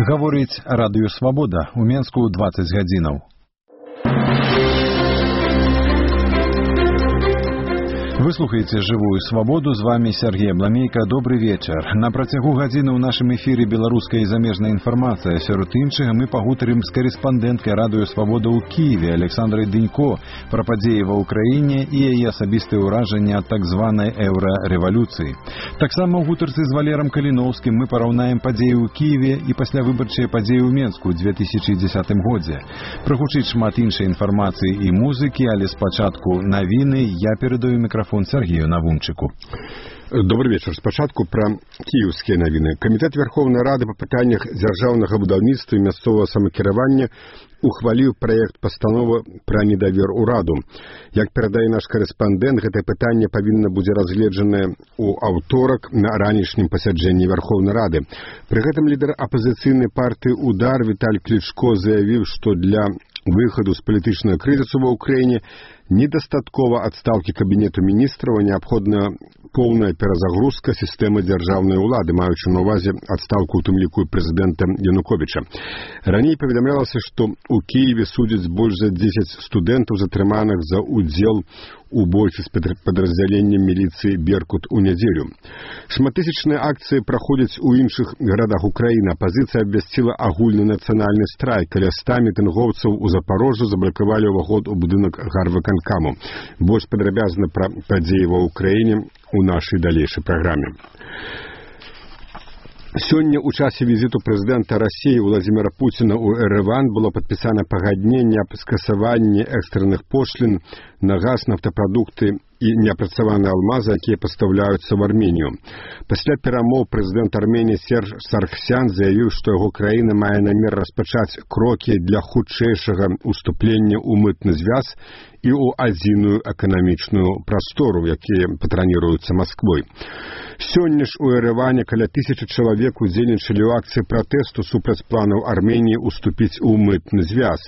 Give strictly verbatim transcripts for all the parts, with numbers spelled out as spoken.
Гаворыць радыё «Свабода», у Менску дваццаць гадзінаў. Вы слухаеце «Жывую свабоду», з вами Сергей Абламейка. Добрый вечер. На працягу гадзіны ў нашым эфіры беларуская і замежная інфармацыя. Сярод іншага мы пагутарым з карэспандэнткай радыё «Свабода» ў Кіеве Александрай Дынько пра падзеі ва ўкраіне і яе асабістыя ўражанні ад так званай еўрарэвалюцыі. Таксама ў гутарцы з Валерам Каліноўскім мы параўнаем падзеі ў Кіеве і паслявыбарчыя падзеі ў Менску ў две тысячы дзесятым годзе. Прагучыць шмат іншай інфармацыі і музыкі, але спачатку навіны. Я перадаю мікрафон Сергею Навумчыку. Добрый вечер. Спачатку пра кіеўскія навіны. Камітэт Верховнай Рады па пытаннях дзяржаўнага будаўніцтва і мясцовага самакіравання ухваліў праект пастановы пра недавер ураду. Як перадае наш карэспандэнт, гэтае пытанне павінна будзе разгледжанае ў аўторак на ранішнім пасяджэнні Верховнай Рады. Пры гэтым лідар апазіцыйнай партыі «Удар» Віталь Клічко заявіў, што для выхаду з палітычнага крызісу ва ўкраіне недастаткова адстаўкі кабінету міністраў, а неабходная поўная перазагрузка сістэмы дзяржаўнай улады, маючы на ўвазе адстаўку, у тым ліку прэзідэнта Януковіча. Раней паведамлялася, што ў Кіеве судзяць больш за дзесяць студэнтаў, затрыманых за ўдзел у бойцы з падраздзяленнем міліцыі «Беркут» у нядзелю. Шматтысячныя акцыі праходзяць у іншых гарадах Украіны. Апазіцыя абвясціла агульны нацыянальны страйк. Каля ста мітынгоўцаў у Запорожжы заблакавалі ўваход у будынак гарвыканкаму. Больш падрабязна пра падзеі ва ўкраіне у нашай далейшай праграме. Сёння ў часе візіту прэзідэнта Расіі Владзіміра Пуціна ў Эрэван было падпісана пагадненне аб скасаванні экстранных пошлін на газ, нафтапрадукты і неапрацаваныя алмазы, якія пастаўляюцца в Арменію. Пасля перамоў прэзідэнт Арменіі Серж Саргсян заявіў, што яго краіна мае намер распачаць крокі для хутчэйшага уступлення ў мытны звяз і ў адзіную эканамічную прастору, якія патраніруюцца Масквой. Сёння ж у Эрэване каля тысячы чалавек удзельнічалі ў акцыі пратэсту супраць планаў Арменіі уступіць у мытны звяз.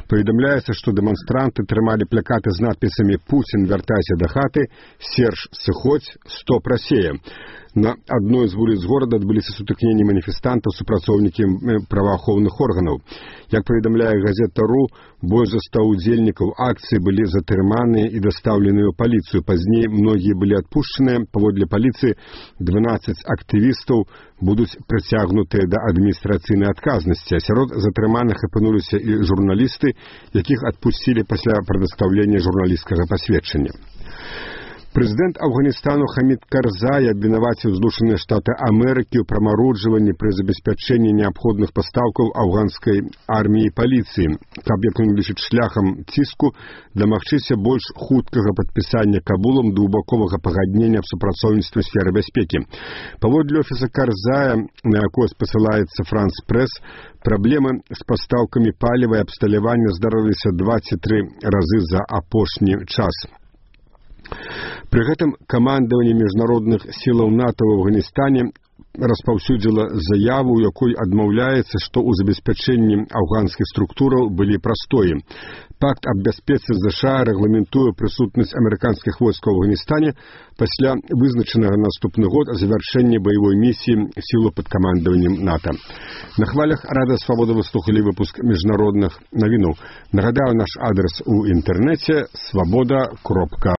Паведамляецца, што дэманстранты трымалі плакаты з надпісамі «Пуцін, вяртайся да хаты», «Серж, сыходзь», «Стоп, Расія». На адной з вуліц горада адбыліся сутыкненні маніфестантаў з супрацоўнікамі праваахоўных органаў. Як паведамляе газета «Ру», больш за ста удзельнікаў акцыі былі затрыманыя і дастаўленыя ў паліцыю. Пазней многія былі адпушчаныя. Паводле паліцыі, дванаццаць актывістаў будуць прыцягнутыя да адміністрацыйнай адказнасці. А сярод затрыманых апынуліся і журналісты, якіх адпусцілі пасля прадастаўлення журналісцкага пасведчання. Прэзідэнт Афганістану Хамід Карзай абвінаваціў Злучаныя Штаты Амерыкі ў прамароджванні пры забеспячэнні неабходных пастаўкаў афганскай арміі і паліцыі, каб, як ён лічыць, шляхам ціску дамагчыся больш хуткага падпісання Кабулам двухбаковага пагаднення аб супрацоўніцтве ў сферы бяспекі. Паводле офіса Карзая, на якое спасылаецца Франс Прэс, праблемы з пастаўкамі паліва і абсталявання здарыліся дваццаць тры разы за апошні час. Пры гэтым камандаванне міжнародных сілаў НАТО ў Афганістане распаўсюдзіла заяву, у якой адмаўляецца, што ў забеспячэнні афганскіх структураў былі прастоі. Пакт аб бяспецы ЗША рэгламентуе прысутнасць амерыканскіх войскаў у Афганістане пасля вызначанага наступны год завяршэння баявой місіі сілу пад камандаваннем НАТО. На хвалях Радыё Свабода вы слухалі выпуск міжнародных навінаў. Нагадаю, наш адрес у інтэрнэце свабода кропка